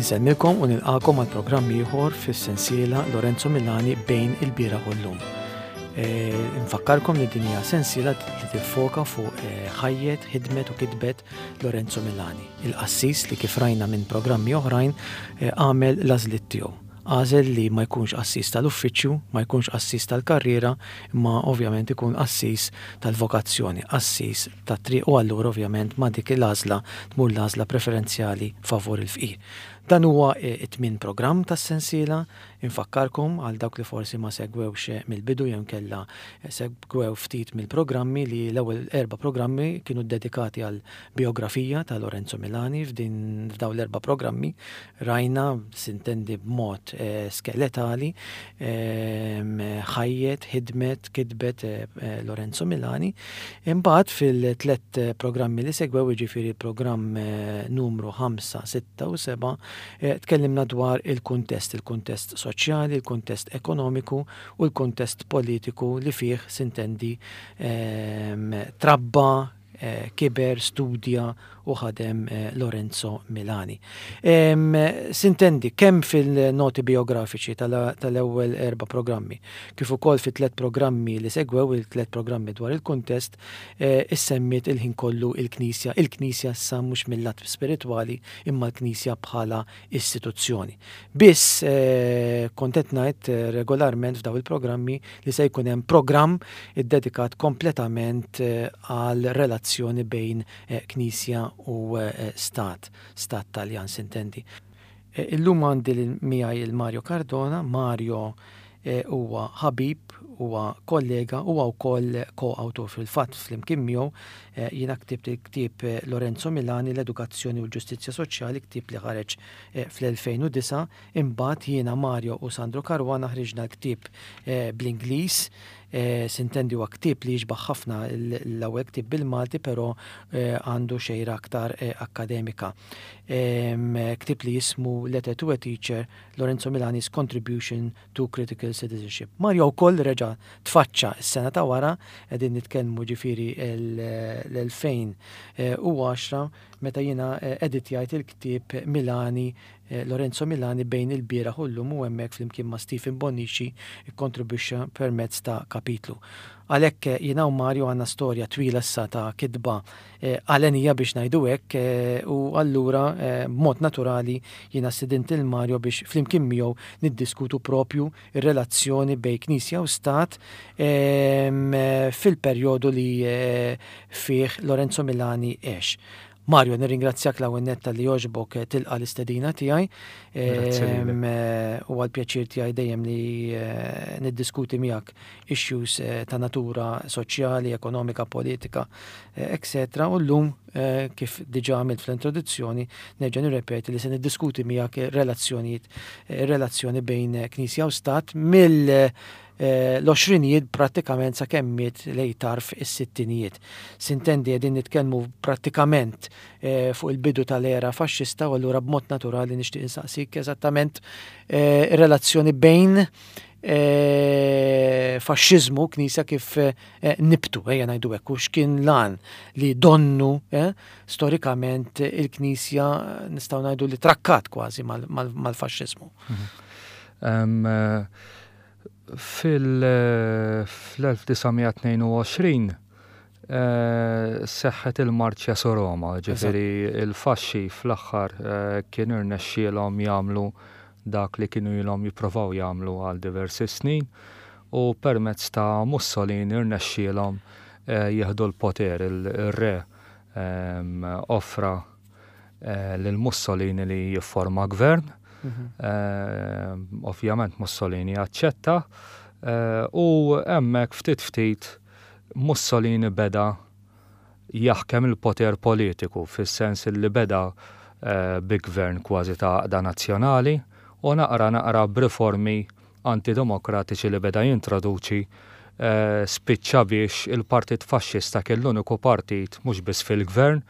Insellmilkom u nilqakom għal programm ieħor fis-sensiela Lorenzo Milani bejn il-bieraħ u llum. E, nfakkarkom li din hija sensiela li tiffoka fuq e, ħajjet, ħidmet u kitbet Lorenzo Milani, il-qassis li kif rajna minn programmi oħrajn e, għamel l-għażliet tiegħu. Għażel li ma jkunx qassis tal-uffiċċju, ma jkunx qassis tal-karriera, imma ovvjament ikun qassis tal-vokazzjoni, qassis tat-triq u allura ovvjament ma' dik l-għażla tmur l-għażla preferenzjali favur il-fqir. Dan huwa t-tmien programm tas-sensiela. Infakkarkom għal dawk li forsi ma segwewx mill-bidu jew inkella segwew ftit mill-programmi li l-ewwel erba' programmi kienu ddedikati għall-bijografija ta' Lorenzo Milani. F'din f'dawn l-erba' programmi Rajna, sintendi b'mod skeletali, ħajjet, ħidmet, kitbet Lorenzo Milani. Imbagħad fil-tlett programmi li segwew, jiġifieri l-programm numru 5, 6 u 7, tkellimna dwar il-kuntest, il-kuntest soċjali, il-kuntest ekonomiku u l-kuntest politiku li fih, sintendi, trabba, kiber, studja u ħadem Lorenzo Milani. Sintendi, kemm fil-noti biografiċi tal-ewwel erba' programmi, kif ukoll fit-tliet programmi li segwew, il-tliet programmi dwar il-kuntest, issemmiet il-ħin kollu il-Knisja, il-Knisja issa mhux mil-lat spiritwali imma l-Knisja bħala istituzzjoni. Biss kont qed ngħid regolarment f'daw il-programmi li se jkun hemm programm iddedikat kompletament għal relazzjoni bejn Knisja u Stat, Stat Taljan sintendi. Illum għandi miegħi il-Mario Cardona, Mario huwa ħabib, huwa kollega, huwa wkoll ko-awtur fil-fatt flimkien miegħu jiena ktibt il-ktieb Lorenzo Milani l-Edukazzjoni u l-Ġustizzja Soċjali, ktieb li ħareġ fl-2009. Imbagħad jiena Mario u Sandro Caruana ħriġna l-ktieb bl-Ingliż. Sintendi huwa ktieb li jixbah ħafna l-ewwel ktieb bil-Malti però għandu xejra aktar akkademika. Ktieb li jismu Letter to a Teacher, Lorenzo Milani's Contribution to Critical Citizenship. Mario wkoll reġa' tfaċċa s-sena ta' wara, qegħdin nitkellmu ġifieri l-2010 meta jiena editjajt il-ktieb Milani, Lorenzo Milani bejn il-bieraħ u llum u hemmhekk flimkien ma' Stephen Bonnici kkontribwixxa permezz ta' kapitlu. Għalhekk jiena u Mario għandna storja twila issa ta' kitba għalenija biex ngħidu hekk u allura b'mod naturali jiena stidint lil Mario biex flimkien miegħu niddiskutu propju r-relazzjoni bejn Knisja u Stat fil-perjodu li fih Lorenzo Milani għex. Mario, nirringrazzjak l-ewwel nett talli għoġbok tilqa' l-istedina tiegħi. Huwa l-pjaċir tiegħi dejjem li niddiskuti miegħek issues ta' natura soċjali, ekonomika, politika, etc. U llum, kif diġà għamilt fl-introduzzjoni, nerġa' nirrepeti li se niddiskuti miegħek ir-relazzjonijiet, ir-relazzjoni bejn Knisja u Stat mill l-għoxrinijiet prattikament sakemm miet lejn tarf is-sittinijiet. Sintendi qegħdin nitkellmu prattikament fuq il-bidu tal-era faxxista u allura b'mod naturali nixtieq insaqsik eżattament ir-relazzjoni bejn faxxiżmu, knisja kif nibtu, ejja ngħidu hekk, u x'kien l-għan li donnu storikament il-knisja nistgħu ngħidu li trakkat kważi mal-faxxiżmu. Fil-1922 seħħet il-Marċja su Roma, ġifieri il-faxxi fl-aħħar kien irnexxielhom jagħmlu dak li kienu ilhom jipprovaw jagħmlu għal diversi snin u permezz ta' Mussolini rnexxielhom jieħdu l-poter. Ir-re offra lil Mussolini li jifforma gvern. Ovvjament Mussolini aċċetta u hemmhekk ftit ftit Mussolini beda jaħkem il-poter politiku fis-sens li beda bi gvern kważi ta' għaqda nazzjonali u naqra naqra b'riformi antidemokratiċi li beda jintroduċi spiċċa biex il-Partit Faxxista kien l-uniku partit mhux biss fil-gvern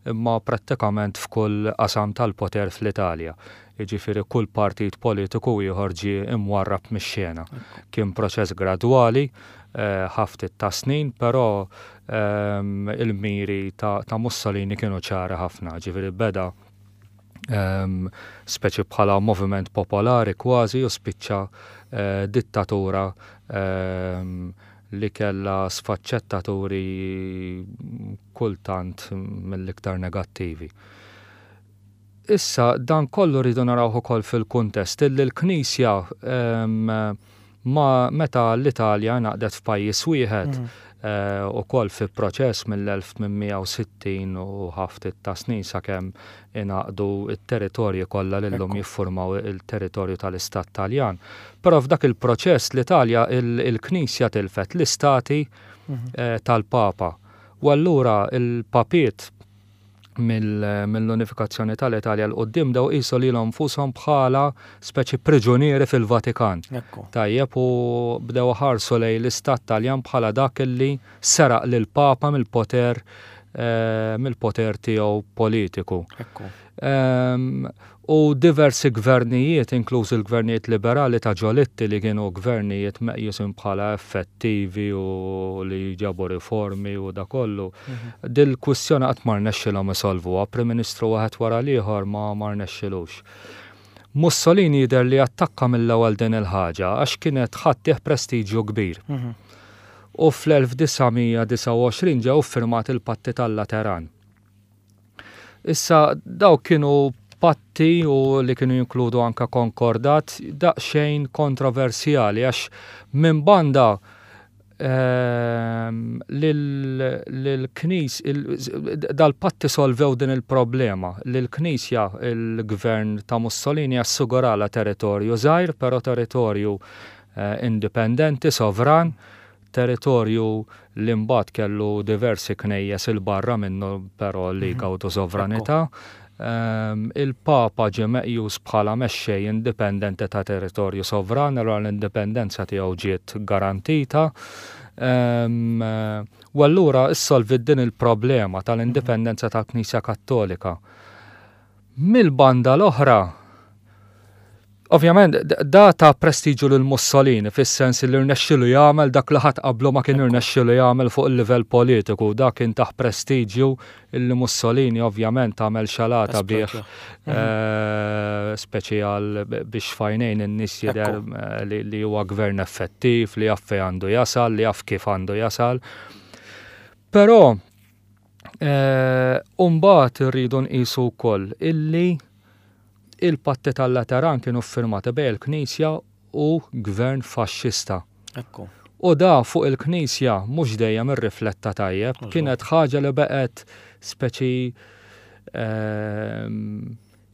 imma prattikament f'kull qasam tal-poter fl-Italja. Jiġifieri kull partit politiku ieħor ġie imwarrab mix-xena. Kien proċess gradwali, ħa ftit ta' snin, però il-miri ta' Mussolini kienu ċari ħafna, ġifieri beda. Speċi bħala moviment popolari kważi u spiċċa dittatura li kellha sfaċċettaturi kultant mill-iktar negattivi. Issa dan kollu rridu narawh ukoll fil-kuntest illi l-Knisja ma meta l-Italja ngħaqdet f'pajjiż wieħed ukoll fi proċess mill-1860 u ħaftit ta' snin sakemm ingħaqdu t-territorji kollha li llum jiffurmaw il-territorju tal-Istat Taljan. Però f'dak il-proċess l-Italja il-Knisja tilfet l-istati tal-Papa. U allura l-papiet mill-unifikazzjoni tal-Italja 'l quddiem bdew iqisu lilhom nfushom bħala speċi priġunieri fil-Vatikan. Tajjeb u bdew iħarsu lejn l-Istat Taljan bħala dak li seraq lill-Papa mill-poter mill-poter tiegħu politiku. U diversi gvernijiet, inklużi l-gvernijiet liberali ta' Giolitti li kienu gvernijiet meqjusin bħala effettivi u li ġabu riformi u da kollu, dil-kwistjoni qatt ma rnexxilhom isolvuha, Prim Ministru wieħed wara l-ieħor ma ma rnexxilux. Mussolini jidher li attakka mill-ewwel din il-ħaġa għax kienet ħa ttih prestiġju kbir. U fl-1929 ġew iffirmati l-Patti tal-Lateran. Issa dawk kienu patti u li kienu jinkludu anka konkordat daqsxejn kontroversjali għax minn banda ehm, lill-knis dal-patti solvew din il-problema li l-Knisja il-gvern ta' Mussolini assigurala territorju żgħir, però territorju eh, indipendenti, sovran, Territorju li mbagħad kellu diversi knejjes 'il barra minnu però li jgawdu sovranità. Il-Papa ġie meqjus bħala mexxej indipendenti ta' territorju sovran, allura l-indipendenza tiegħu ġiet garantita. U allura issolviet din il-problema tal-indipendenza tal-Knisja Kattolika. Mill-banda l-oħra, ovvjament da ta prestiġu lil Mussolini fis-sens li rnexxilu jagħmel dak li ħadd qablu ma kien irnexxilu jagħmel fuq il-livell politiku. Da kien tah prestiġju illi Mussolini ovvjament għamel xalata bih eh, speċi għal biex fajnejn in-nies jidher eh, li huwa gvern effettiv, li jaf fejn għandu jasal, li jaf kif għandu jasal. Però U mbagħad irridu nqisu wkoll illi il-patti tal-Lateran kienu ffirmati bejn il-Knisja u gvern faxxista. Ekku. U da fuq il-Knisja mhux dejjem irrifletta tajjeb, kienet ħaġa li beqgħet speċi ehm,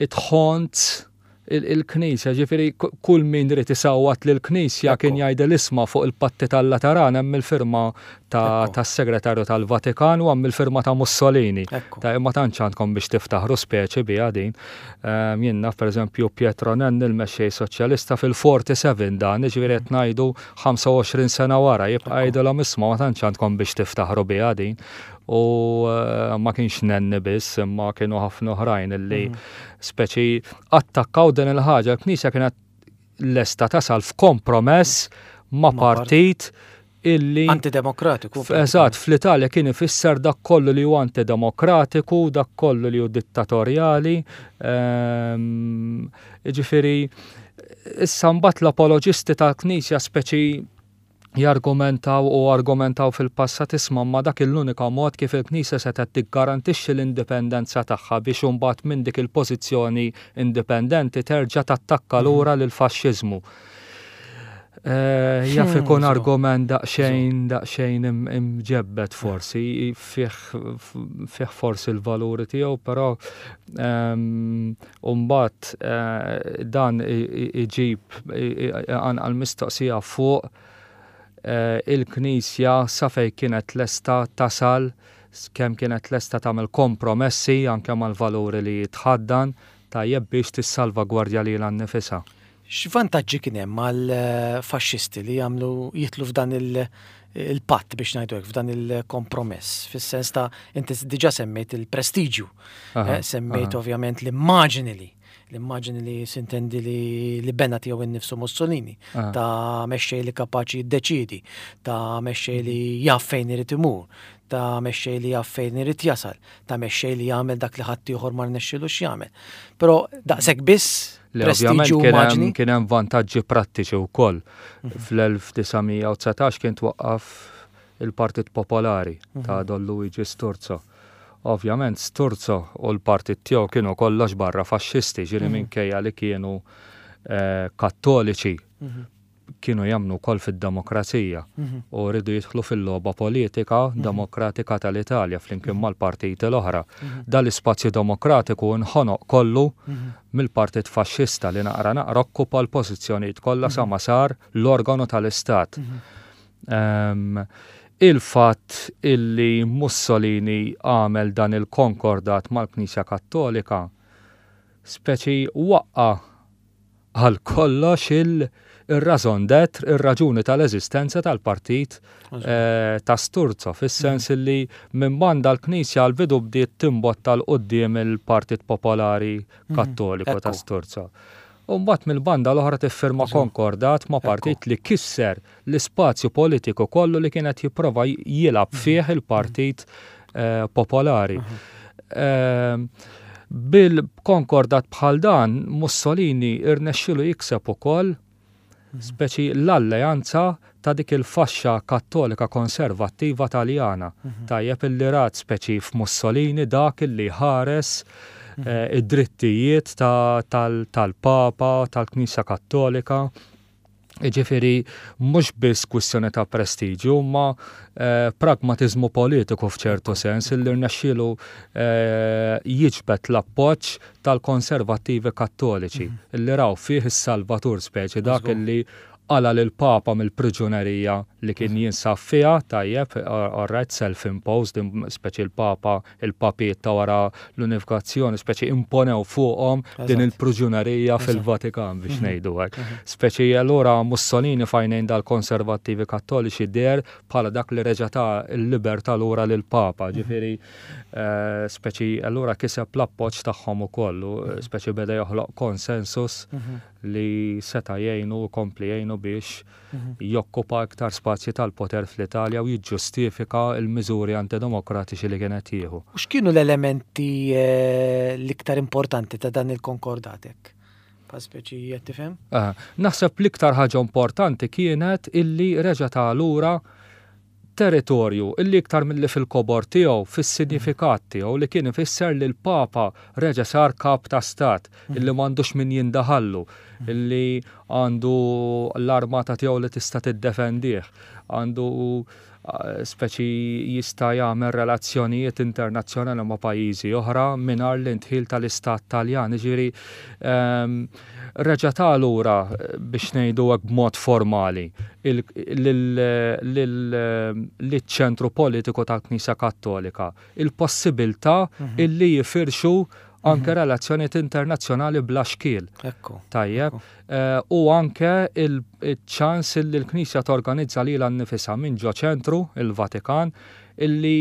it haunts il-Knisja, ġifieri kull min ried isawwat lill-Knisja kien jgħidil isma' fuq il-Patti tal-Lateran hemm il-firma tas-Segretarju tal-Vatikan u hemm il-firma ta' Mussolini. Ta' ma tantx għandkom biex tiftaħru speċi biha din. Ehm, jien naf pereżempju Pietro Nenni l-mexxej soċjalista fil-47 dan, ġifieri qed ngħidu 25 sena wara jibqa' jgħidilhom isma' ma tantx għandkom biex tiftaħru biha din. U eh, ma kienx Nenni biss, imma kienu ħafna oħrajn illi mhm. Speċi attakkaw din il-ħaġa, l-Knisja kienet lesta tasal f'kompromess ma' partit illi. Antidemokratiku. Eżatt, fl-Italja kien ifisser dak kollu li hu antidemokratiku, dak kollu li hu dittatorjali. Ehm, ġifieri, issa mbagħad l-apoloġisti tal-Knisja speċi jargumentaw u argumentaw fil-passat isma' imma dak l-unika mod kif il-Knisja setgħet tiggarantixxi l-indipendenza tagħha biex imbagħad minn dik il-pożizzjoni indipendenti terġa' tattakka lura lill-faxxiżmu. Eh, jaf hmm, ikun argument daqsxejn daqsxejn imġebbed forsi, fih forsi l-valuri tiegħu, però ehm, U mbagħad dan iġib iqanqal mistoqsija fuq il-Knisja sa fejn kienet lesta tasal, kemm kienet lesta tagħmel kompromessi anke mal-valuri li tħaddan, tajjeb biex tissalvagwardja lilha nnifisha. X'vantaġġi kien hemm għall-faxxisti li jagħmlu jidħlu f'dan il-patt biex ngħidu hekk, f'dan il-kompromess, fis-sens ta' inti diġà semmejt il-prestiġju, eh, semmejt ovvjament l-immaġini li l-immaġini li sintendi li, li bena tiegħu innifsu Mussolini, ta' mexxej li kapaċi jiddeċiedi, ta' mexxej li jaf fejn irid imur, ta' mexxej li jaf fejn irid jasal, ta' mexxej li jagħmel dak li ħaddieħor ma rnexxilux jagħmel. Però daqshekk biss prestiġju immaġni. Kien hemm vantaġġi prattiċi wkoll. Fl-1919 kien twaqqaf il-Partit Popolari ta' Don Luigi Sturzo. Ovvjament Sturzo u l-partit tiegħu kienu kollox barra faxxisti, ġieli minkejja li kienu kattoliċi, kienu jemmnu wkoll fid-demokrazija u riedu jidħlu fil-logħba politika demokratika tal-Italja flimkien mal-partiti l-oħra. Dan l-ispazju demokratiku nħonoq kollu mill-Partit Faxxista li naqra naqra okkupa l-pożizzjonijiet kollha sa ma sar l-organu tal-Istat. Il-fatt illi Mussolini għamel dan il-konkordat mal-Knisja Kattolika speċi waqqa' għal kollox il-raison d'être, ir-raġuni tal-eżistenza tal-partit ta' Sturzo, fis-sens illi minn banda l-Knisja għall-bidu bdiet timbotta 'l quddiem il-Partit Popolari Kattoliku ta' Sturzo. U mbagħad mill-banda l-oħra tiffirma konkordat ma' partit li kisser l-ispazju politiku kollu li kien qed jipprova jilgħab fih il-Partit Popolari. Bil-konkordat bħal dan, Mussolini rnexxielu jikseb ukoll speċi l-alleanza ta' dik il-faxxa Kattolika konservattiva Taljana. Tajjeb illi rat speċi f'Mussolini dak illi jħares id-drittijiet tal-Papa, tal-Knisja Kattolika. Jiġifieri mhux biss kwistjoni ta' prestiġju, imma pragmatiżmu politiku f'ċertu sens illi rnexxielu jiġbed l-appoġġ tal-konservattivi Kattoliċi illi raw fih is-salvatur speċi dak illi qala' lill-Papa mill-priġunerija li kien jinsab fiha, tajjeb, all right, self-imposed, speċi l-Papa, il-papiet ta' wara l-unifikazzjoni, speċi imponew fuqhom din il-priġunerija fil-Vatikan biex ngħidu hekk. Speċi allura Mussolini f'għajnejn dal-konservattivi Kattoliċi deher bħala dak li reġa' ta l-libertà lura lill-Papa, ġifieri speċi allura kiseb l-appoġġ tagħhom ukoll u speċi beda joħloq konsensus li seta' jgħinu u jkompli jgħinu biex jokkupa iktar spazji tal-poter fl-Italja u jiġġustifika l-miżuri antidemokratiċi li kien qed jieħu. U x'kienu l-elementi l-iktar importanti ta' dan il-konkordat hekk? Bħal speċi qed tifhem? Naħseb l-iktar ħaġa importanti kienet illi reġa' ta lura territorju illi iktar milli fil-kobor tiegħu, fis-sinjifikat tiegħu li kien ifisser li l-Papa reġa' sar kap ta' stat, illi m'għandux min jindaħallu, illi għandu l-armata tiegħu li tista' tiddefendih, għandu speċi jista' jagħmel relazzjonijiet internazzjonali ma' pajjiżi oħra mingħajr l-indħil tal-Istat Taljan. Jiġifieri reġa' ta lura biex ngħidu hekk b'mod formali liċ-ċentru politiku tal-Knisja Kattolika il-possibilità illi jifirxu anke relazzjonijiet internazzjonali bla xkiel. Tajjeb. U anke il-ċans illi l-Knisja torganizza lilha nnifisha minn ġo ċentru, il-Vatikan, illi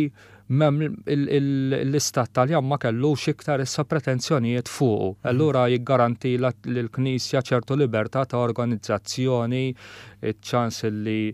l-Istat Taljan ma kellux iktar issa pretensjonijiet fuqu. Allura jiggaranti lill-Knisja ċertu libertà ta' organizzazzjoni, iċ-ċans li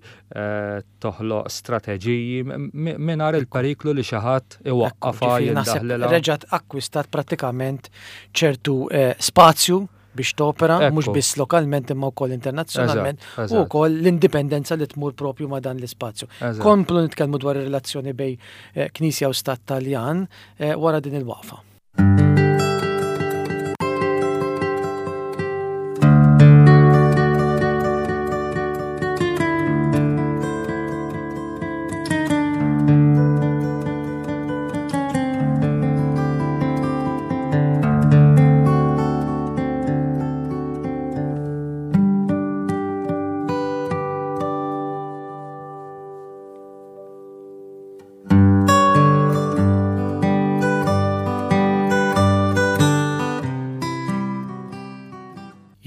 toħloq strateġiji mingħajr il-periklu li xi ħadd iwaqqafha, jindaħlilha. Reġgħet akkwistat prattikament ċertu spazju biex topera mhux biss lokalment imma wkoll internazzjonalment u wkoll l-indipendenza li tmur propju ma' dan l-ispazju. Komplu nitkellmu dwar ir-relazzjoni bej eh, Knisja u Stat Taljan eh, wara din il-waqfa.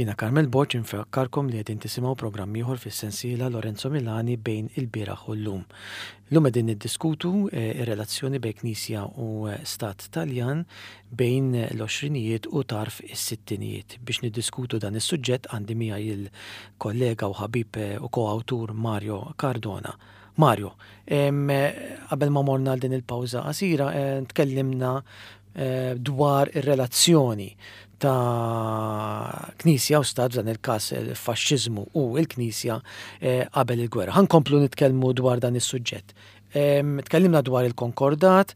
Jiena Carmel Borg infakkarkom li qegħdin tisimgħu programm ieħor fis-sensiela Lorenzo Milani bejn il-bieraħ u llum. Illum qegħdin niddiskutu r-relazzjoni bejn Knisja u Stat Taljan bejn l-għoxrinijiet u tarf is-sittinijiet. Biex niddiskutu dan is-suġġett għandi miegħi l-kollega u ħabib u ko-awtur Mario Cardona. Mario, qabel ma morna għal din il-pawża qasira, tkellimna dwar ir-relazzjoni ta' Knisja u Stat, f'dan il-każ il-faxxiżmu u l-Knisja qabel il-gwerra. Ħa nkomplu nitkellmu dwar dan is-suġġett. Tkellimna dwar il-konkordat,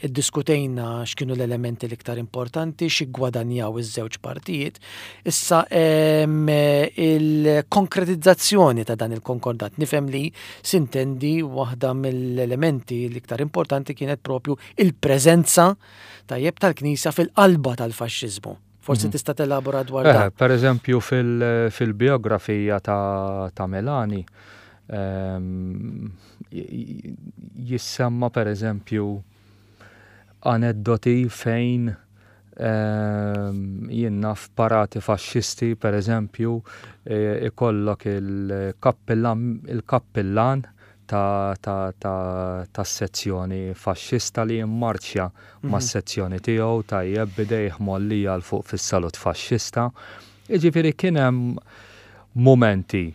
iddiskutejna x'kienu l-elementi l-iktar importanti, xi ggwadanjaw iż-żewġ partijiet. Issa il-konkretizzazzjoni ta' dan il-konkordat nifhem li sintendi waħda mill-elementi l-iktar importanti kienet propju il-preżenza tajjeb tal-Knisja fil-qalba tal-faxxiżmu. Forsi tista' telabora dwar dan. Per eżempju fil-biografija ta' Melani jissemma per eżempju aneddoti fejn jien naf parati faxxisti per eżempju ikollok il-kappillan tas-sezzjoni faxxista li jimmarċja mas-sezzjoni tiegħu tajjeb b'idejh mgħollija 'l fuq fis-salut faxxista. Jiġifieri kien hemm mumenti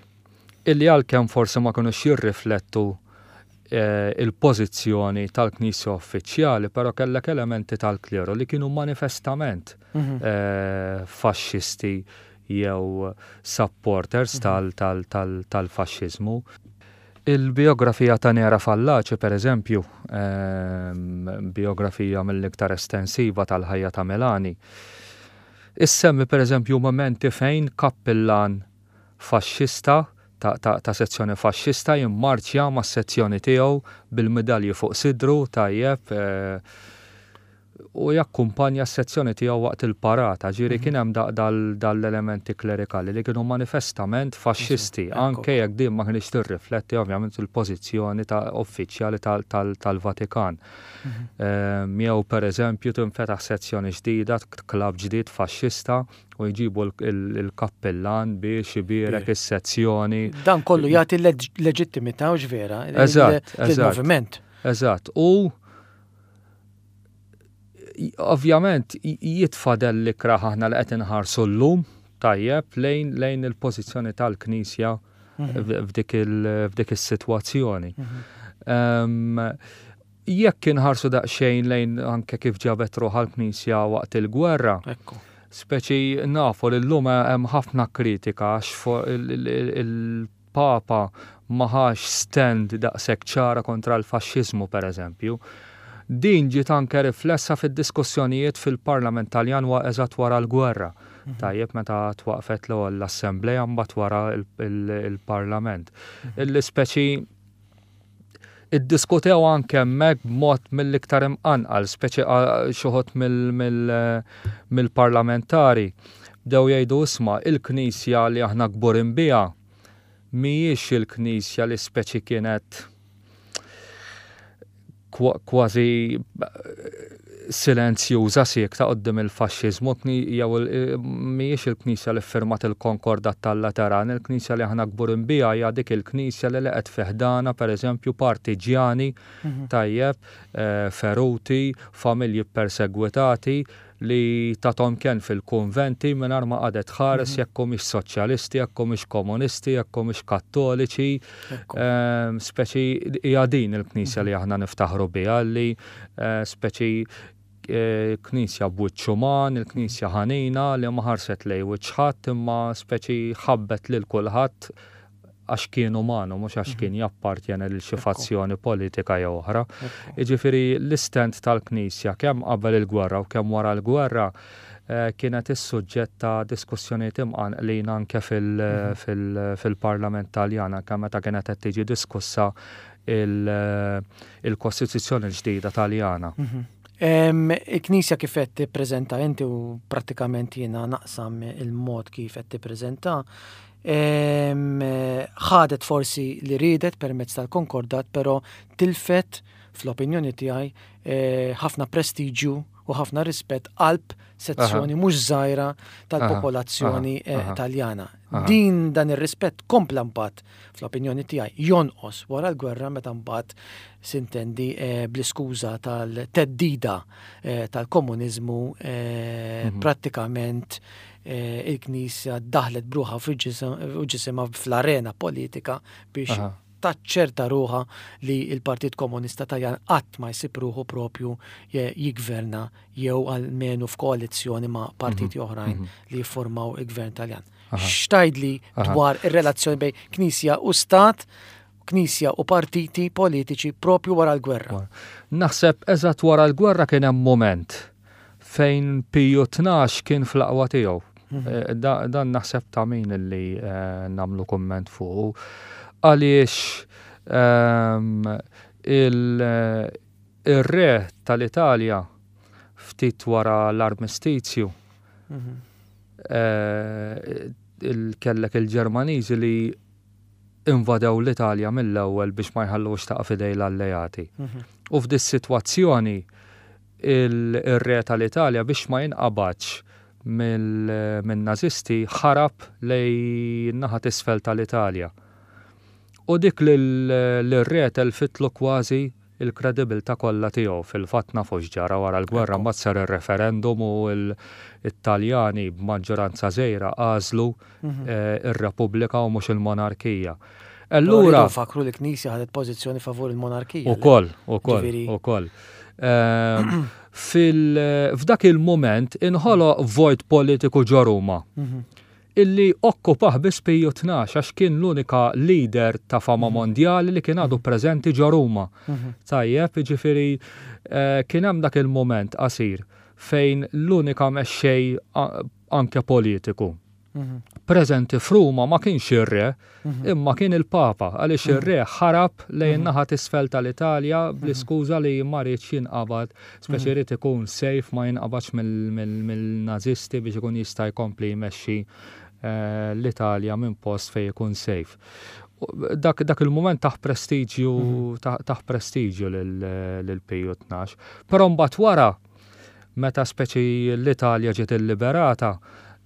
illi għalkemm forsi ma kinux jirriflettu il-pożizzjoni tal-Knisja uffiċjali, però kellek elementi tal-kleru li kienu manifestament faxxisti jew supporters tal-faxxiżmu. Il-bijografija ta' Nera Fallaci, per eżempju, bijografija mill-iktar estensiva tal-ħajja ta' Melani, issemmi per eżempju mumenti fejn kappillan faxxista ta' sezzjoni faxxista jimmarċja mas-sezzjoni tiegħu bil-midalji fuq sidru, tajjeb, u jakkumpanja s-sezzjoni tiegħu waqt il-parata, ġifieri kien hemm dal-elementi klerikali li kienu manifestament faxxisti, anke jekk din ma kinitx tirrifletti ovvjament il-pożizzjoni ta' uffiċjali tal-Vatikan. Jew pereżempju tinfetaħ sezzjoni ġdida, klabb ġdid faxxista u jġibu l-kappillan biex ibierek is-sezzjoni. Dan kollu jagħti leġittimità u vera lill-moviment. Eżatt, u ovvjament jitfa' dell ikrah aħna li qed inħarsu llum tajjeb lejn lejn il-pożizzjoni tal-Knisja f'dik is-sitwazzjoni. Jekk inħarsu daqsxejn lejn anke kif ġabet ruħha l-Knisja waqt il-gwerra, speċi nafu li llum hemm ħafna kritika għax Papa ma ħax stand daqshekk ċara kontra l-faxxiżmu, per eżempju. Din ġiet anke riflessa fid-diskussjonijiet fil-Parlament Taljan eżatt wara l-gwerra, tajjeb, meta twaqqfet l-ewwel l-Assemblea mbagħad wara l-Parlament. Illi speċi iddiskutew anke hemmhekk b'mod mill-iktar imqanqal, speċi xi wħud mill-parlamentari bdew jgħidu isma' il-Knisja li aħna kburin biha mhijiex il-Knisja li speċi kienet kważi silenzjuża siekta quddiem il-faxxiżmu, jew mhijiex il-Knisja li ffirmat il-Konkordat tal-Lateran, il-Knisja li aħna kburin biha hija dik il-Knisja li laqgħet fi ħdanha pereżempju partiġjani tajjeb, feruti, familji ppersegwitati, li tathom kenn fil-kunventi mingħajr ma qagħdet tħares jekk humiex soċjalisti, jekk humiex komunisti, jekk humiex kattoliċi. Speċi hija din il-Knisja li aħna niftaħru biha li speċi Knisja b'wiċċ uman, il-Knisja ħanina li ma ħarset lejn wiċċ ħadd imma speċi ħabbet lil kulħadd għax kien uman u mhux għax kien jappartjeni lil xi fazzjoni politika jew oħra. Jiġifieri l-istand tal-Knisja kemm qabel il-gwerra u kemm wara l-gwerra kienet is-suġġett ta' diskussjonijiet imqanqlin anke fil-Parlament Taljan anke meta kienet qed tiġi diskussa il-Kostituzzjoni l-ġdida Taljana. Il-Knisja kif qed tippreżenta inti u prattikament jiena naqsam il-mod kif qed tippreżenta, ħadet forsi li riedet permezz tal-konkordat, però tilfet fl-opinjoni tiegħi eh, ħafna prestiġju u ħafna rispett qalb sezzjoni mhux żgħira tal-popolazzjoni eh, Taljana. Din dan ir-rispett kompla mbagħad fl-opinjoni tiegħi jonqos wara l-gwerra meta mbagħad sintendi eh, bl-iskuża tal-teddida tal-komuniżmu prattikament il-Knisja daħlet bruħa u ġisimha fl-arena politika biex. taċċerta ruħha li l-Partit Komunista Taljan qatt ma jsib ruħu propju jiggverna jew almenu f'koalizzjoni ma' partiti oħrajn li jiffurmaw il-gvern Taljan. X'tgħidli dwar ir-relazzjoni bejn Knisja u Stat, Knisja u partiti politiċi propju wara l-gwerra? Naħseb eżatt wara l-gwerra kien hemm mument fejn Piju 12 kien fl-aqwa tiegħu. Dan naħseb ta' min li nagħmlu kumment fuqu. Għaliex il-re tal-Italja ftit wara l-armistizju kellek il-Ġermaniżi li invadew l-Italja mill-ewwel biex ma jħalluhiex taqa' f'idej l-alleati. U f'dis-sitwazzjoni il-re tal-Italja biex ma jinqabadx min-Nażisti ħarab lejn in-naħa t'isfel tal-Italja. U dik lir-re telfitlu kważi l-kredibilità kollha tiegħu. Fil-fatt nafu x'ġara wara l-gwerra, mbagħad sar ir-referendum u t-Taljani b'maġġoranza żgħira għażlu r-Repubblika u mhux il-monarkija. Allura. Rridu nfakkru li l-Knisja ħadet pożizzjoni favur il-monarkija. Ukoll, ukoll, ukoll. F'dak il-mument inħoloq vojt politiku ġo Ruma illi okkupah biss Piju 12 għax kien l-unika leader ta' fama mondjali li kien għadu preżenti ġo Ruma. Tajjeb, jiġifieri kien hemm dak il-mument qasir fejn l-unika mexxej anke politiku preżenti f'Ruma ma kienx ir-re, imma kien il-Papa, għaliex ir-re ħarab lejn in-naħa t'isfel tal-Italja bl-iskuża li ma riedx jinqabad, speċi ried ikun safe ma jinqabadx mill-Nażisti biex ikun jista' jkompli jmexxi l-Italja minn post fejn ikun safe. Dak, dak il-mument tah prestiġju tah prestiġju lil Piju 12. Però mbagħad wara meta speċi l-Italja ġiet illiberata,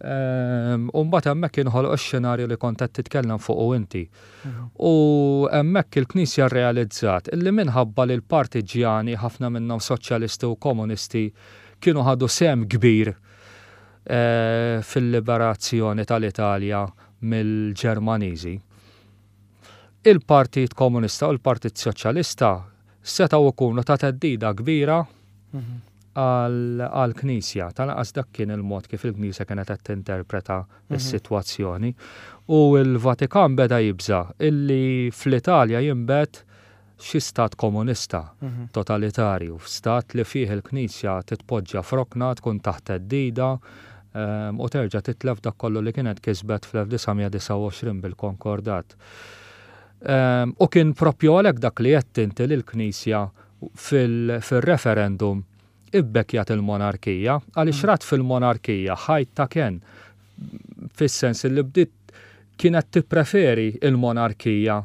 u mbagħad hemmhekk inħoloq ix-xenarju li kont qed titkellem fuqu inti. U hemmhekk il-Knisja rrealizzat illi minħabba li l-partiġġjani, ħafna minnhom soċjalisti u komunisti, kienu ħadu sehem kbir fil-liberazzjoni tal-Italja mill-Ġermaniżi, il-Partit Komunista u l-Partit Soċjalista setgħu jkunu ta' theddida kbira għall-Knisja. Tal-anqas dak kien il-mod kif il-Knisja kienet qed tinterpreta s-sitwazzjoni. U l-Vatikan beda jibża' illi fl-Italja jinbet xi stat komunista, totalitarju, stat li fih il-Knisja titpoġġa f'rokna, tkun taħt theddida u terġa' titlef dak kollu li kienet kisbet fl-1929 bil-Konkordat. U kien propju għalhekk dak li għedt inti li l-Knisja fil-referendum ibbekkjat il-monarkija, għaliex rat fil-monarkija ħajt ta' kenn, fis-sens li bdiet kienet tippreferi l-monarkija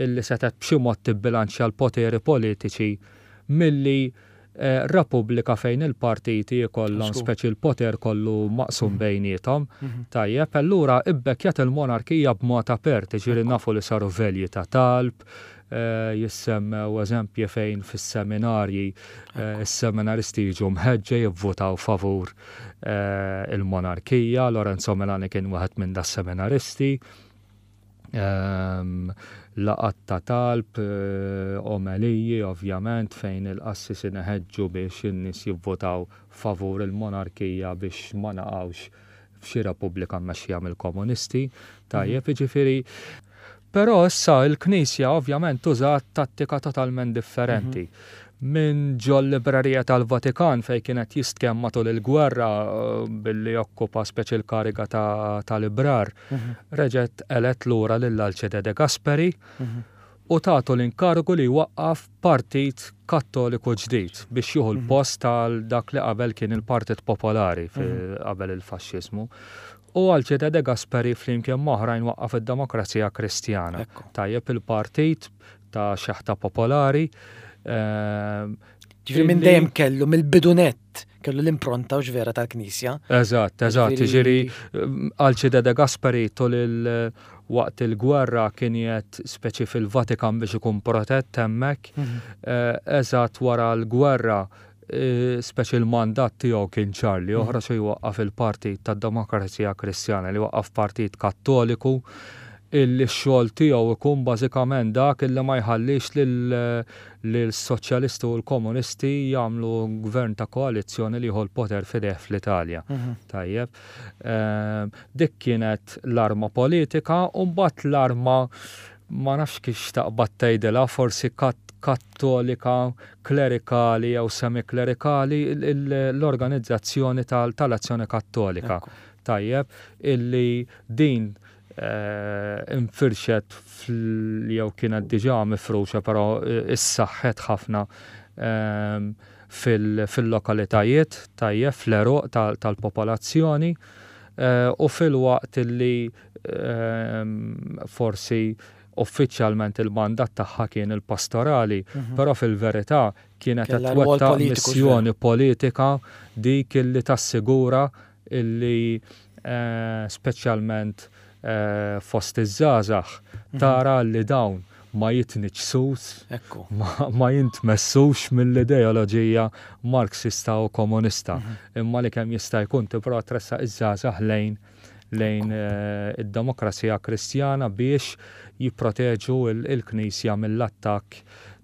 illi setgħet b'xi mod tibbilanċja l-poteri politiċi milli repubblika fejn il-partiti jkollhom speċi l-poter kollu maqsum bejniethom. Tajjeb, allura ibbekkjat il-monarkija b'mod apert, jiġifieri nafu li saru velji ta' talb, jissemmew eżempji fejn fis-seminarji s-seminaristi jiġu mħeġġa jivvutaw favur il-monarkija, Lorenzo Milani kien wieħed minn das-seminaristi. Laqgħat ta' talb, omeliji ovvjament fejn il-qassisin iħeġġu biex in-nies jivvutaw favur il-monarkija biex ma naqgħux f'xi repubblika mmexxija mill-komunisti. Tajjeb, jiġifieri. Però issa l-Knisja ovvjament użat tattika totalment differenti. Minn ġol-librerija tal-Vatikan fejn kien qed jistkenn matul il-gwerra billi okkupa speċi l-kariga ta' librar, reġgħet elett lura lil Alcide De Gasperi u tatu l-inkarigu li jwaqqaf partit Kattoliku ġdid biex jieħu l-post tal dak li qabel kien il-Partit Popolari qabel il-faxxiżmu. U Alcide De Gasperi flimkien m'oħrajn waqqaf id-Demokrazija Kristjana. Tajjeb il-partit ta' xeħta popolari. Ehm, ġifieri minn dejjem kellu mill-bidu nett kellu l-impronta u vera tal-Knisja. Eżatt, eżatt, ġifieri Alcide de Gasperi tul il- waqt il-gwerra kien jgħed speċi fil-Vatikan biex ikun protett hemmhekk. Mhm. Eh, eżatt wara l-gwerra eh, speċi l-mandat tiegħu kien ċar li oħra mhm. xi jwaqqaf il-Partit tad-Demokrazija Kristjana li waqqaf Partit Kattoliku. Illi x-xogħol tiegħu ikun bażikament dak illi ma jħallix lill-soċjalisti u l-komunisti jagħmlu gvern ta' koalizzjoni li jieħu l-poter f'idejh fl-Italja. Tajjeb. Dik kienet l-arma politika u mbagħad l-arma ma nafx kif x'taqbad tgħidilha, forsi kattolika, klerikali jew semiklerikali, l-organizzazzjoni tal-Azzjoni Kattolika. Tajjeb, illi din infirxet jew kienet diġà mifruxa però issaħħet ħafna fil-lokalitajiet, tajjeb, fl-għeruq tal-popolazzjoni u filwaqt li forsi uffiċjalment il-mandat tagħha kien il-pastorali, però fil-verità kienet qed twettaq missjoni politika dik li tassigura illi speċjalment fost iż-żgħażagħ tara li dawn ma jitniġġsux, ma jintmessux mill-ideoloġija Marxista u komunista, imma li kemm jista' jkun tipprova tressaq iż-żgħażagħ lejn lejn id-demokrazija Kristjana biex jipproteġu l-Knisja mill-attakk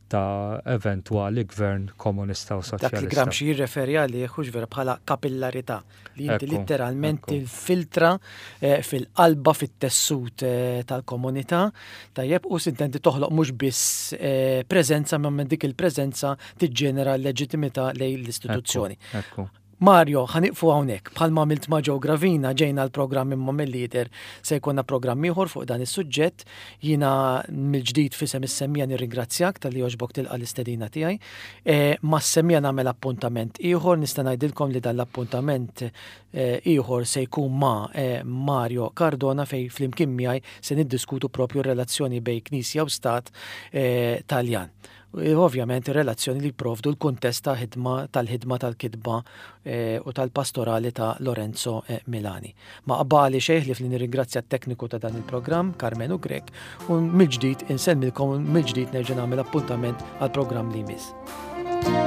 ta' eventwali gvern komunista u soċjalista. Dak li Gramsci jirreferi għalih hux vera bħala kapillarità li inti litteralment tilfiltra eh, fil-qalba fit-tessut eh, tal-komunità tajjeb u sintendi toħloq mhux biss eh, preżenza ma minn dik il-preżenza tiġġenera l-leġittimità lejn l-istituzzjoni. Mario, ħa nieqfu hawnhekk. Bħalma għamilt ma' Joe Gravina, ġejna l-programm imma mill-lider se jkollna programm ieħor fuq dan is-suġġett. Jiena mill-ġdid f'isem is-semmiegħa nirringrazzjak talli għoġbok tilqa' l-istedina tiegħi. E, mas-semmiegħa nagħmel appuntament ieħor, nista' ngħidilkom li dan l-appuntament e, ieħor se jkun ma' e, Mario Cardona fejn flimkien miegħi se niddiskutu propju r-relazzjoni bejn Knisja u Stat Taljan. Ovvjament ir-relazzjoni li jipprovdu l-kuntest ta' ħidma tal-ħidma tal-kitba eh, u tal-pastorali ta' Lorenzo eh, Milani. Ma qbali xejn ħlief li nirringrazzja t-tekniku ta' dan il-programm, Carmenu Grech, u mill-ġdid insellmilkom mill-ġdid nerġa' nagħmel appuntament għall-programm li jmiss.